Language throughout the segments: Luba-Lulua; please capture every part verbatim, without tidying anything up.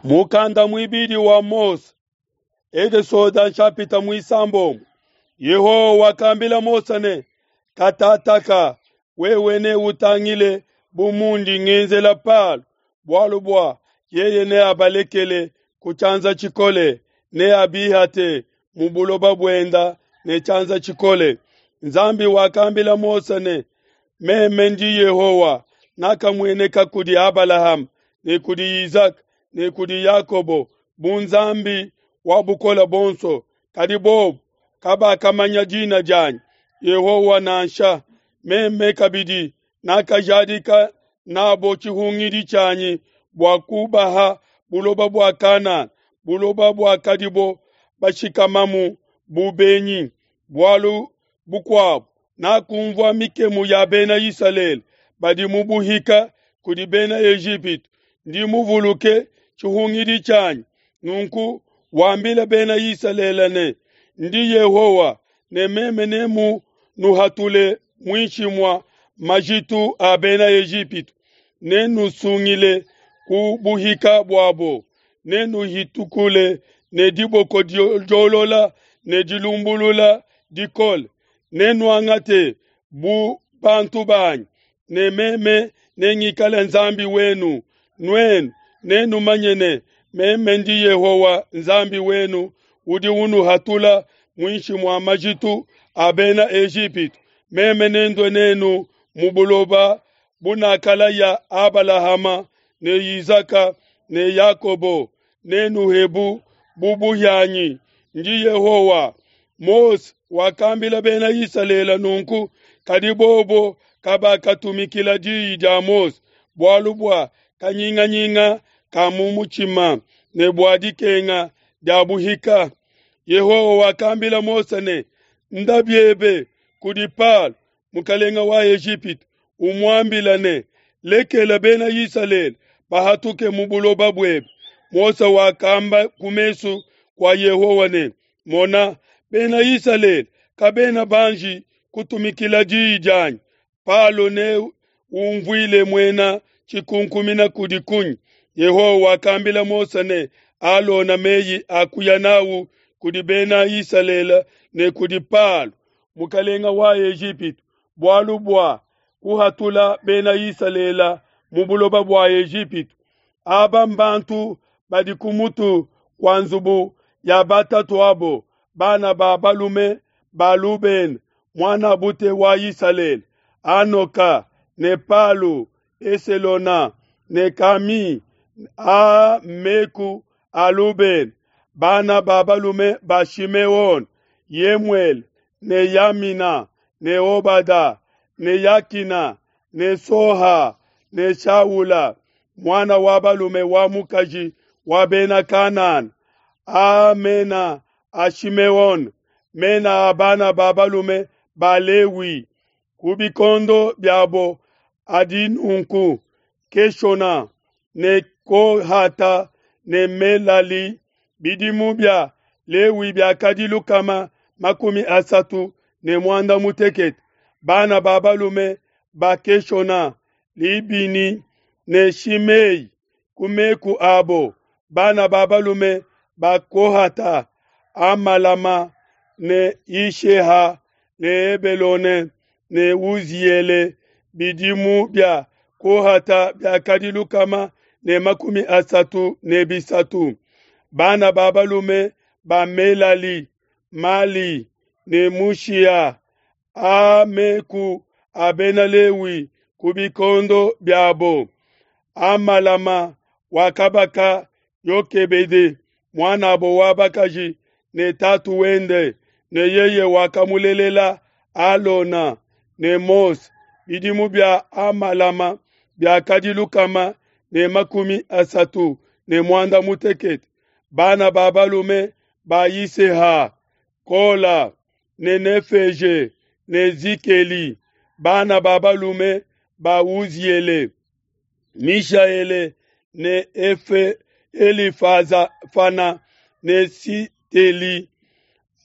Mukanda muibidi wa Mose, Ekesoda nshapita muisambombo. Yehowa wakambila Mose ne, katataka wewe neutangile bu mundi ngenzela Palo, bualu bua yeye neabalekele ku tshianza tshikole, neabihate mu buloba buenda ne tshianza tshikole. Nzambi wakambila Mose ne, meme ndi Yehowa, nakamueneka kudi Abalahama ne kudi Isaka ne kudi Yakobo bu Nzambi wa bukole buonso, kadi bobu kabakamanya dina dianyi Yehowa nansha. Meme kabidi nakajadika nabo tshihungidi tshianyi bua kubaha buloba bua Kanana, buloba buakadibo bashikamamu bu benyi. Bualu bukuabu, nakumvua mikemu ya bena Isalele badi mu buhika kudi bena Ejipitu, ndi muvuluke tshihungidi tshianyi. Nunku wambile bena Isalele ne, ndi Yehowa, ne meme nemunuhatule muinshi mua majitu a bena Ejipitu, nenusungile ku buhika buabo, nenuhitukule ne diboko diolola ne dilumbulula dikole, nenuangate bu bantu banyi, ne meme nengikale Nzambi wenu. Nuenu nenumanye ne, meme ndi Yehowa Nzambi wenu udi unuhatula muinshi mua majitu a bena Ejipitu. Meme nendue nenu mu buloba bunakalaya Abalahama ne Isaka ne Yakobo, nenuhebu bu buhianyi. Ndi Yehowa. Mose wakambila bena Isalele nunku, kadi bobo kabakatumikila diyi dia Mose, bualu bua kanyinganyinga ka mu mutshima ne bua dikenga dia buhika. Yehowa wakambila Mose ne, nda biebe kudi Palo, mukalenga wa Ejipitu, umuambila ne, lekela bena Isalele bahatuke mu buloba buebe. Mose wakamba ku mesu kua Yehowa ne, mona, bena Isalele kabena banji kutumikila diyi dianyi. Palo ne umvuile muena tshikunkumina kudi kunyi? Yehowa wakambila Mose ne Alona meyi a kuya nawu kudi bena Isalele ne kudi Palo, mukalenga wa Ejipitu, bualu bua kuhatula bena Isalele mu buloba bua Ejipitu. Aba mbantu badi ku mutu kua nzubu ya batatuabo, bana ba balume ba Lubene, muanabute wa Isalele, Hanoka ne Palu, Eselona ne Kami, a meku a Lubene, bana ba balume ba Shimeone, Yemuele ne Yamina ne Obada ne Yakina ne Soha ne Shaula, mwana wa balume wa mukaji wa bena Kanana. A mena a Shimeone, mena a bana ba balume ba Lewi, ku bikondo biabo adi nunku: Keshona ne Kohata ne Melali. Bidimu bia Lewi biakadi lukama makumi asatu ne muanda mutekete. Bana ba balume ba Keshona, Libini ne Shimei, ku meku abo. Bana ba balume ba Kohata, Amalama ne Isheha ne Hebelone ne Uziele. Bidimu bia Kohata biakadi lukama ne makumi asatu ne bisatu. Bana ba balume ba Melali, Mali ne Mushia. A meku a bena Lewi ku bikondo biabo. Amalama wakabaka Yokebede, muanabo wa bakaji ne tatu wende, ne yeye wakamulelela Alona ne Mose. Bidimu bia Amalama biakadi lukama ne makumi asatu ne muanda mutekete. Bana ba balume ba Yiseha, Kola ne Nefeje ne Zikeli. Bana ba balume ba Uziele, Mishaele ne Efe Elifazafana ne Siteli.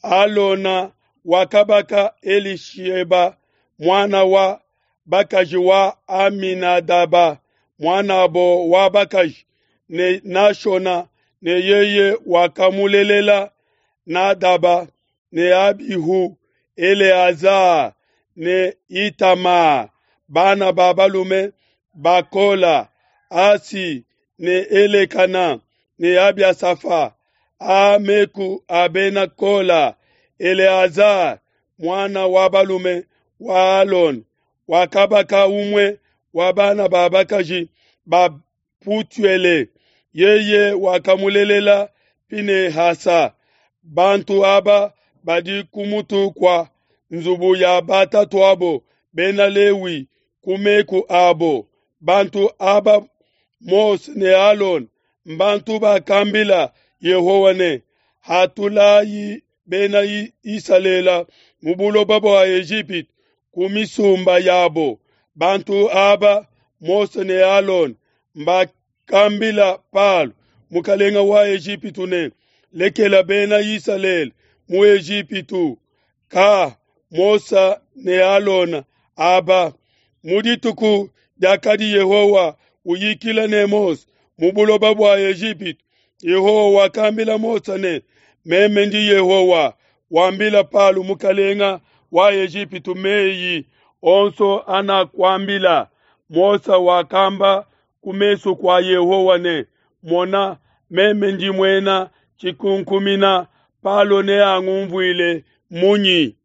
Alona wakabaka Elisheba, mwana wa bakaji wa Aminadaba, muanabo wa bakaji, ne Nashona ne yeye wakamulelela Nadaba ne Abihu, Eleaza ne Itama. Bana ba balume ba Kola, Asi ne Elekana ne Abiasafa. A meku a bena Kola, Eleaza muana wa balume wa Alona wakabaka umue wa bana ba bakaji ba Putuele, yeye wakamulelela Pinehasa. Bantu aba badi ku mutu kua nzubu ya batatuabo bena Lewi ku meku abo. Bantu aba Mose ne Alona mbantu bakambila Yehowa ne, Hatulayi bena Isalele mu buloba bua Ejipitu ku misumba yabo. Bantu aba Mose ne Alona mbakambila Palo mukalenga wa Ejipitu ne, Lekela bena Isalele mu Ejipitu. Ka Mose ne Alona aba mu dituku diakadi Yehowa uyikila ne Mose mu buloba bua Ejipitu, Yehowa wakambila Mose ne, Meme ndi Yehowa. Wambila Palo mukalenga wa Ejipitu meyi onso anakuambila. Mose wakamba ku mesu kua Yehowa ne, Mona, meme ndi muena tshikunkumina, Palo neangumvuile munyi?